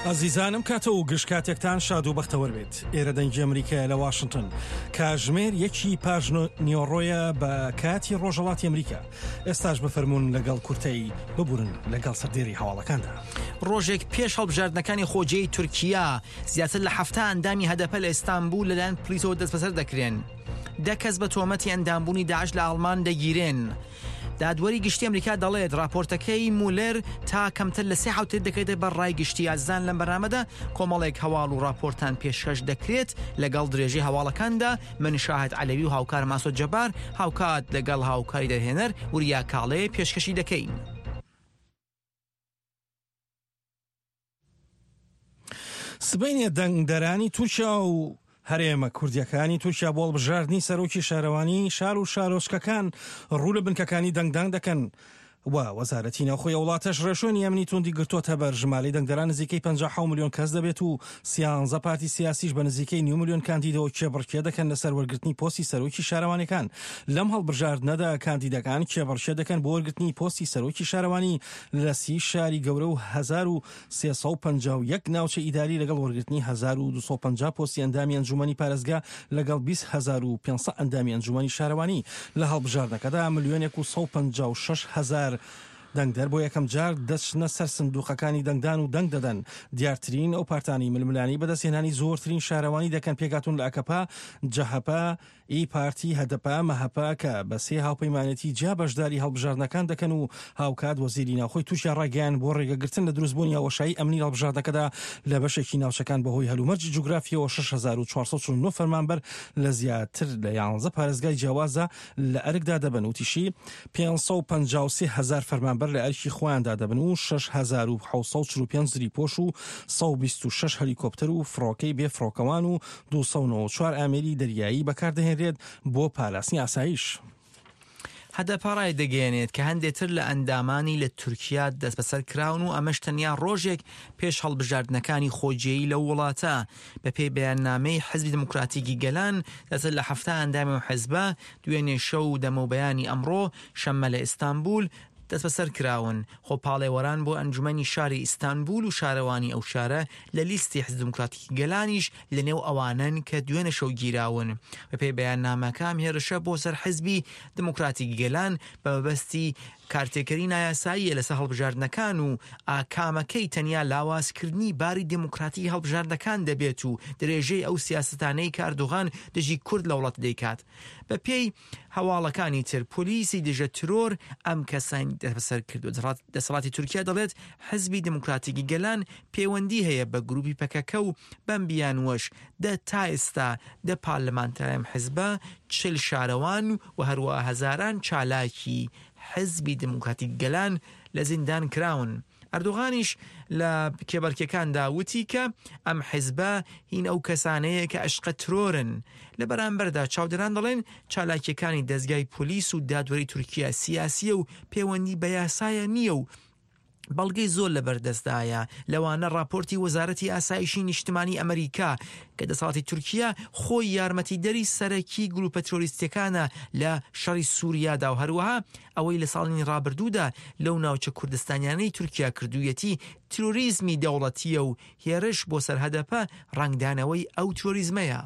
ئازیزانم کاتە و گشت کاتێکتان شاد و بەختەوەر بێت ئێرە دەنگی ئەمریکایە لە واشنتن کاژمێر یەکی پاش نیۆڕۆیە بە کاتی ڕۆژەڵاتی ئەمریکا ئێستاش بفەرمونون لەگەڵ کورتەی ببورن لەگەڵ سەردێری هەواڵەکاندا. ڕۆژێک پێش هەڵبژاردنەکانی خۆجێی تورکیا زیاتر لە حەفتا ئەندامی هەدەپە لە ئیستانبول لەلایەن پلیسەوە دەستبەسەر دەکرێن. دە کەس بە تۆمەتی ئەندامبوونی داعش لە ئاڵمان دەگیرێن. دادوەری گشتی ئەمریکا دەڵێت راپۆرتەکەی مولەر تا کەمتر لە سێ حوتێت دەکرێتە بەر ڕای گشتی ئازان لەم بەرنامەدا کۆمەڵێک هەواڵ و راپۆرتان پێشکەش دەکرێت لەگەڵ درێژەی هەواڵەکاندا من شاهد عەلەوی و هاوکار ماسۆ جەبار هاوکات لەگەڵ هاوکاری دەرهێنەر وریا کاڵێ پێشکەشی دەکەین. سبەینێ دەنگدەرانی تورکیا و هەرێمە کوردیەکانی تورکیا بۆ هەڵبژاردنی سەرۆکی شارەوانی شار و شارۆچکەکان ڕوو لە بنکەکانی دەنگدان دەکەن و وەزارەتی ناوخۆی ئەو وڵاتەش ڕێوشوێنی ئەمنی توندی گرتۆتە بەر ژمارەی دەنگدەران نزیکەی 50 ملیۆن کەس دەبێت و سیانزە پارتی سیاسیش بە نزیکەی نیو ملیۆن کاندیدەوە کێبڕکێ دەکەن لەسەر وەرگرتنی پۆستی سەرۆکی شارەوانیەکان لەم هەڵبژاردنەدا کاندیدەکان کێبڕکێ دەکەن بۆ وەرگرتنی پۆستی سەرۆکی شارەوانی لە سی شاری گەورە و 1351 ناوچە ئیداری لەگەڵ وەرگرتنی 1250 پۆستی ئەندامی ئەنجومەنی پارێزگا لەگەڵ 20500 ئەندامی ئەنجومەنی شارەوانی لە هەڵبژاردنەکەدا ملیۆنێک و 156 هەزار دەنگدەر بۆ یەکەم جار دەچنە سەر سندوقەکانی دەنگدان و دەنگ دەدەن. دیارترین ئەو پارتانەی ململانێی بەدەستهێنانی زۆرترین شارەوانی دەکەن پێکهاتوون لە ئەکەپە، جەهەپە، ئی پارتی، هەدەپە، مەهەپە کە بە سێ هاوپەیمانێتی جیا بەشداری هەڵبژاردنەکان دەکەن و هاوکات وەزیری ناوخۆی تورکیا ڕایگەیاند بۆ ڕێگەگرتن لە دروستبوونی هاوەشایی ئەمنی لە هەڵبژاردنەکەدا لە بەشێکی ناوچەکان بەهۆی هەلومەرجی جوگرافییەوە 6449 فەرمانبەر لە زیاتر لە یانزە پارێزگای جیاوازدا لە ئەرکدا دەبن وتیشی 553 هەزار فەرمانبەر لە ئەرکی خۆیاندا دەبن و 6745 زریپۆش و 126 هەلیکۆپتەر و فڕۆکەی بێ فڕۆکەوان و 294 ئامێری دەریایی بەکاردەهێنرێت بۆ پاراستنی ئاسایش. هەدەپە ڕایدەگەیەنێت کە هەندێ تر لە ئەندامانی لە تورکیا دەستبەسەر کراون و ئەمەش تەنیا ڕۆژێک پێش هەڵبژاردنەکانی خۆجێیی لەو وڵاتە. بەپێی بەیاننامەی حزبی دێموکراتیکی گەلان، زیاتر لە 70 ئەندامی ئەو حزبە دوێنێ شەو و دەمەوبەیانی ئەمڕۆ شەممە لە ئیستانبول دەستبەسەر کراون. خۆپاڵێوەران بۆ ئەنجومەنی شاری ئیستانبول و شارەوانی ئەو شارە لە لیستی حزبی دێموکراتیکی گەلانیش لەنێو ئەوانەن کە دوێنێ شەو گیراون. بەپێی بەیاننامەکە ئەم هێرشە بۆ سەر حزبی دێموکراتیکی گەلان بە مەبەستی کارتێکەری نایاساییە لەسەر هەڵبژاردنەکان و ئاکامەکەی تەنیا لاوازکردنی باری دێموکراتیکی هەڵبژاردنەکان دەبێت و درێژەی ئەو سیاسەتانەی کە ئەردۆغان دژی کورد لە وڵات دەیکات. بەپێی هەواڵەکانی تر پۆلیسی دژە ترۆر ئەم کەسانی دەستبەسەر کردووە. دەسەڵاتی تورکیا دەڵێت حزبی دێموکراتیکی گەلان پەیوەندی هەیە بە گروپی پەکەکە و بەم بیانووەش دە تا ئێستا دە پارلەمانتاری ئەم حزبە، 40 شارەوان و هەروەها هەزاران چالاکی حزبی دێموکراتیک گەلان لە زیندان کراون. ئەردۆغانیش لە کێبەرکێکاندا وتی کە ئەم حزبە هین ئەو کەسانەیە کە ئەشقە ترۆرن. لە بەرامبەردا چاودێران دەڵێن چالاکیەکانی دەزگای پۆلیس و دادوەری تورکیا سیاسیە و پەیوەندی بە یاسایە نییە و بەڵگەی زۆر لەبەردەستدایە، لەوانە ڕاپۆرتی وەزارەتی ئاسایشی نیشتمانی ئەمریکا کە دەسەڵاتی تورکیا خۆی یارمەتیدەری سەرەکی گروپە ترۆریستیەکانە لە شەڕی سوریادا و هەروەها ئەوەی لە ساڵانی ڕابردوودا لەو ناوچە کوردستانیانەی تورکیا کردوویەتی ترۆریزمی دەوڵەتییە و هێرش بۆ سەر هەدەپە ڕەنگدانەوەی ئەو ترۆریزمەیە.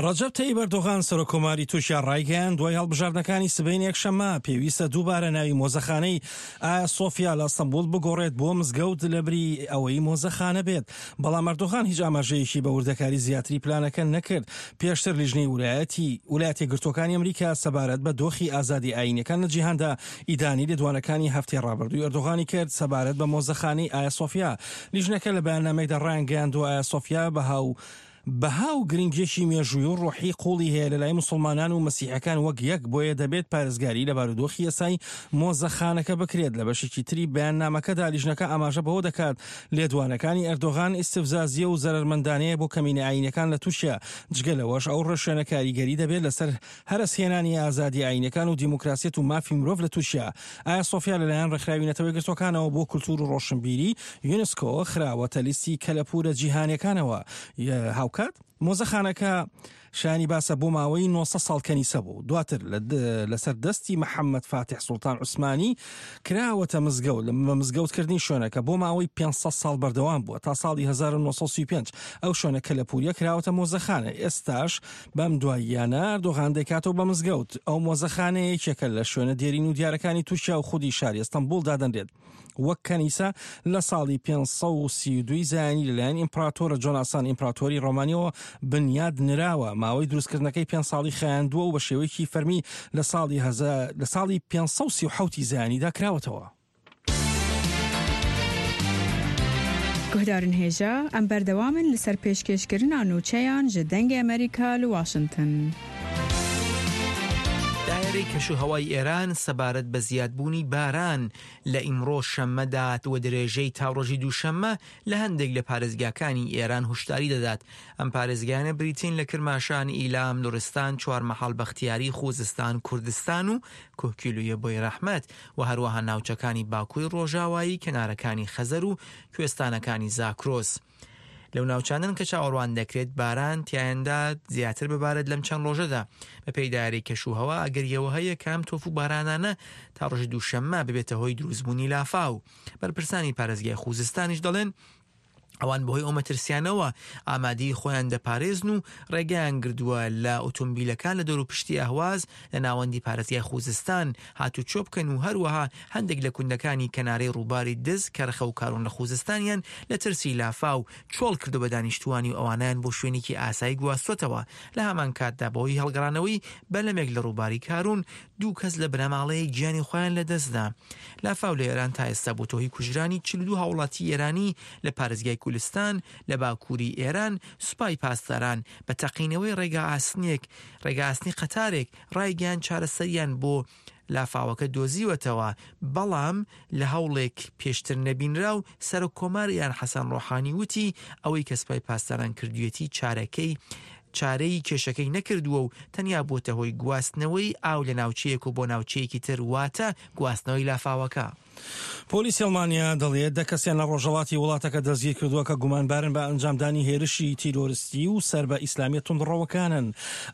ڕەجەب تەیب ئەردۆغان، سەرۆککۆماری تورکیا ڕایگەیاند، دوای هەڵبژاردنەکانی سبەینێ یەکشەممە، پێویستە دووبارە ناوی مۆزەخانەی ئایا سۆفیا لە ئەستەنبوڵ بگۆڕێت بۆ مزگەوت لەبری ئەوەی مۆزەخانە بێت. بەڵام ئەردۆغان هیچ ئاماژەیەکی بە وردەکاری زیاتری پلانەکە نەکرد. پێشتر لیژنەی ولایەتی ولایەتە یەکگرتووەکانی ئەمریکا سەبارەت بە دۆخی ئازادی ئایینیەکان لە جیهاندا ئیدانەی لێدوانەکانی هەفتەی ڕابردووی ئەردۆغانی کرد سەبارەت بە مۆزەخانەی ئایا سۆفیا. لیژنەکە لە بەیاننامەیەکدا ڕایانگەیاندووە ئایا سۆفیا بەها و بەها و گرنگیەکی مێژووی و ڕۆحی قوڵی هەیە لەلای موسڵمانان و مەسیحەکان وەک یەک، بۆیە دەبێت پارێزگاری لە بارودۆخی ئێستای مۆزەخانەکە بکرێت. لە بەشێکی تری بەیاننامەکەدا لیژنەکە ئاماژە بەوە دەکات لێدوانەکانی ئەردۆغان ئیستفزازیە و زەرەرمەندانەیە بۆ کەمینە ئایینەکان لە تورکیا، جگە لەوەش ئەو ڕێوشوێنە کاریگەری دەبێت لەسەر هەرەسهێنانی ئازادی ئایینەکان و دیموکراسیەت و مافی مرۆڤ لە تورکیا. ئایا سۆفیا لەلایەن ڕێکخراوی نەتەوە یەکگرتووەکانەوە بۆ کولتوور و ڕۆشنبیری، یونسکۆ، خراوەتە لیستی کەلەپوورە جیهانییەکانەوە. هاوکات مۆزەخانەکە. شایانی باسە بۆ ماوەی 900 ساڵ کەنیسە بوو، دواتر لەسەر دەستی محەممەد فاتیح سوڵتان عوسمانی کراوەتە مزگەوت، بە مزگەوتکردنی شوێنەکە بۆ ماوەی 500 ساڵ بەردەوام بووە تا ساڵی 1935 ئەو شوێنە کەلەپووریە کراوەتە مۆزەخانە، ئێستاش بەم دواییانە ئەردۆغان دەیکاتەوە بە مزگەوت، ئەو مۆزەخانەیە یەکێکە لە شوێنە دێرین و دیارەکانی تورکیا و خودی شاری ئەستەنبوڵ دادەنرێت. وەک کەنیسە لە ساڵی 532 زایینی لەلایەن ئیمپراتۆرە جۆناسان ئیمپراتۆری ڕۆمانیەوە بنیاد نراوە، ماوەی دروستکردنەکەی پێنج ساڵی خایاندووە و بە شێوەیەکی فەرمی لە ساڵی لە ساڵی 537 زایینیدا کراوەتەوە. Guhdarên hêja, em berdewam in li ser pêşkêşkirina nûçeyan ji Dengê Amerîka li Washington. دایرەی کەشوهەوای ئێران سەبارەت بە زیادبوونی باران لە ئیمڕۆ شەممەدا و درێژەی تا ڕۆژی دووشەممە لە هەندێک لە پارێزگاکانی ئێران هوشداری دەدات. ئەم پارێزگایانە بریتین لە کرماشان، ئیلام، لوڕستان، چوارمەحاڵ بەختیاری، خوزستان، کوردستان و کوهکیلویە بۆیرەحمەد و هەروەها ناوچەکانی باکووری ڕۆژاوایی کەنارەکانی خەزەر و کوێستانەکانی زاکرۆس. لەو ناوچانەن کە چاوەڕوان دەکرێت باران تیایاندا زیاتر ببارێت لەم چەند ڕۆژەدا. بەپێی دایرەی کەشوهەوا ئەگەری ئەوە هەیە کە ئەم تۆف و بارانانە تا ڕۆژی دووشەممە ببێتە هۆی دروستبوونی لافاو. بەرپرسانی پارێزگای خوزستانیش دەڵێن، ئەوان بەهۆی ئەو مەترسیانەوە ئامادەیی خۆیان دەپارێزن و ڕێگەیان گردووە لە ئۆتۆمبیلەکان لە دەوروپشتی ئەهواز لە ناوەندی پارێزگای خوزستان هاتوچۆ بکەن و هەروەها هەندێک لە کوندەکانی کەنارەی ڕووباری دز، کەرخە و کارون لە خوزستانیان لە ترسی لافاو چۆڵ کردووە بە دانیشتووانی و ئەوانەیان بۆ شوێنێکی ئاسایی گواستووەتەوە. لە هەمان کاتدا بەهۆی هەڵگەڕانەوەی بەلەمێک لە ڕووباری کارون دوو کەس لە بنەماڵەیەک گیانی خۆیان لەدەستدا. لافاو لە ئێران تا ئێستا بۆتە هۆی کوژرانی 42 هاوڵاتی ئێرانی لە پارێزگای کولستان لە باکووری ئێران، سوپای پاسداران بە تەقینەوەی ڕێگا ئاسنێک ڕێگا ئاسنی قەتارێک ڕایگەیاند چارەسەریان بۆ لافاوەکە دۆزیوەتەوە، بەڵام لە هەوڵێک پێشتر نەبینراو سەرۆک کۆمار ئێران حەسەن ڕۆحانی وتی ئەوەی کە سوپای پاسداران کردویەتی چارەکەی چارەی کێشەکەی نەکردووە و تەنیا بۆتە هۆی گواستنەوەی ئاو لە ناوچەیەک و بۆ ناوچەیەکی تر واتە گواستنەوەی لافاوەکە. پۆلیسی ئەڵمانیا دەڵێت دە کەسیان لە ڕۆژهەڵاتی وڵاتەکە دەستگیرکردووە کە گومانبارن بە ئەنجامدانی هێرشی تیرۆرستی و سەر بە ئیسلامیە توندڕەوەکانن.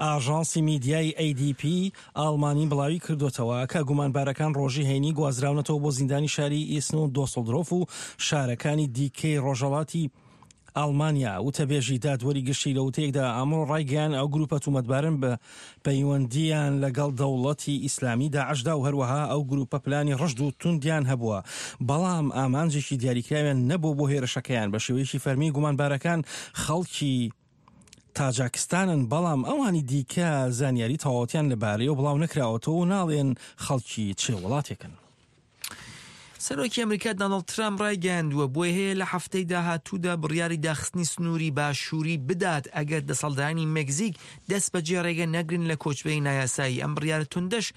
ئاژانسی میدیایی ADP ئاڵمانی بڵاوی کردووەتەوە کە گومانبارەکان ڕۆژی هەینی گوازراونەتەوە بۆ زیندانی شاری ئیسن و دۆسڵدرۆف و شارەکانی دیکەی ڕۆژهەڵاتی ئاڵمانیا. وتەبێژی دادوەری گشتی لە وتەیەکدا ئەمڕۆ ڕایگەیاند ئەو گروپە تومەتبارن بە پەیوەندییان لەگەڵ دەوڵەتی ئیسلامی داعشدا و هەروەها ئەو گروپە پلانی ڕژد و توندیان هەبووە بەڵام ئامانجێکی دیاریکراویان نەبووە بۆ هێرشەکەیان. بە شێوەیەکی فەرمی گومانبارەکان خەڵکی تاجاکستانن، بەڵام ئەوانی دیکە زانیاری تەواوەتیان لەبارەیەوە بڵاو نەکراوەتەوە و ناڵێن خەڵکی چ وڵاتێکن. سەرۆکی ئەمریکا دانڵد ترامپ ڕایگەیاندووە بۆی هەیە لە هەفتەی داهاتوودا بڕیاری داخستنی سنووری باشووری بدات ئەگەر دەسەڵدانی مەکزیک دەست بەجێ ڕێگە نەگرن لە کۆچبەری نایاسایی ئەم بڕیارە توندەش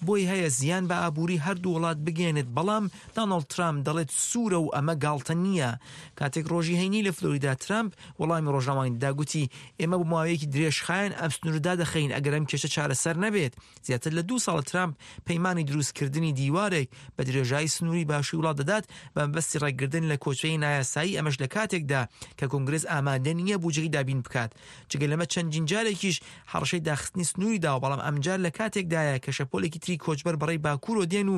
بۆی هەیە زیان بە ئابووری هەردوو وڵات بگەێنێت بەڵام دانڵد ترامپ دەڵێت سوورە و ئەمە گاڵتە نییە کاتێک ڕۆژی هەینی لە فلۆریدا ترامپ وەڵامی ڕۆژنامەوانی دا گوتی ئێمە بۆ ماوەیەکی درێژخایەن ئەم سنوورە دادەخەین ئەگەر ئەم کێشە چارەسەر نەبێت زیاتر لە دوو ساڵە ترامپ پەیمانی دروستکردنی دیوارێک بە درێژایی سنووری باشووری وڵات دەدات بە مەبەستی ڕێگردن لە کۆچبەری نایاسایی ئەمەش لە کاتێکدا کە کۆنگرس ئامادە نییە بودجەی دابین بکات جگە لەمە چەندین جارێکیش هەڕەشەی داخستنی سنووری داوە بەڵام ئەمجار لە کاتێکدایە کە شەپۆلێکی تری کۆچبەر بەڕێی باکوورەوە دێن و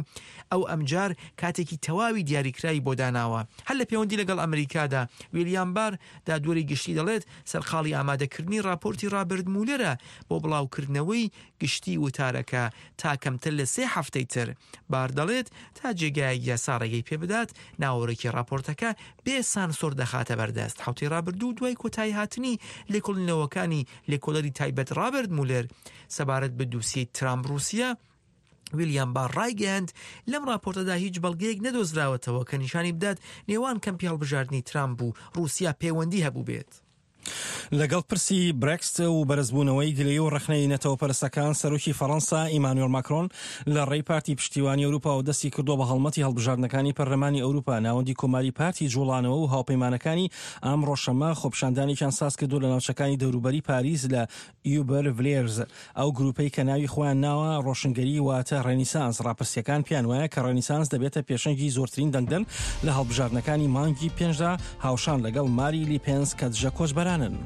ئەو ئەمجار کاتێکی تەواوی دیاریکراوی بۆ داناوە. هەر لە پێوەندی لەگەڵ ئەمریکادا، ویلیام بار، دادوەری گشتی دەڵێت، سەرقاڵی ئامادەکردنی ڕاپۆرتی ڕابرت مولەرە بۆ بڵاوکردنەوەی گشتی وتارەکە تا کەمتر لە سێ هەفتەی تر. بار دەڵێت، تا جێگایەک یاسا ڕێگەی پێبدات، ناوەرۆکی ڕاپۆرتەکە بێ سانسۆر دەخاتە بەردەست. حەوتەی ڕابردوو دوای کۆتاییهاتنی لێکۆڵینەوەکانی لێکۆڵەری تایبەت ڕابرت مولەر سەبارەت بە دوسیەی ترامپ-ڕووسیا، ویلیام بار ڕایگەیاند، لەم ڕاپۆرتەدا هیچ بەڵگەیەک نەدۆزراوەتەوە کە نیشانی بدات نێوان کەمپی هەڵبژاردنی ترامپ و ڕووسیا پەیوەندی هەبووبێت. لەگەڵ پرسی برێکست و بەرزبوونەوەی گلەیی و ڕەخنەی نەتەوەپەرستەکان، سەرۆکی فەڕەنسا ئیمانوێل ماکرۆن لە ڕێی پارتی پشتیوانی ئەوروپاوە دەستی کردووە بە هەڵمەتی هەڵبژاردنەکانی پەرلەمانی ئەوروپا. ناوەندی کۆماری پارتی جوڵانەوە و هاوپەیمانەکانی ئەمڕۆ شەممە خۆپیشاندانێکیان سازکردووە لە ناوچەکانی دەوروبەری پاریس لە ئیوبەر ڤلێرز، ئەو گرووپەی کە ناوی خۆیان ناوە ڕۆشنگەری واتە ڕێنیسانس، ڕاپرسییەکان پێیان وایە کە ڕێنیسانس دەبێتە پێشەنگی زۆرترین دەنگدەر لە هەڵبژاردنەکانی مانگی پێنجدا هاوشان لەگەڵ ماری لیپێنس کە دژە کۆچبەرانن.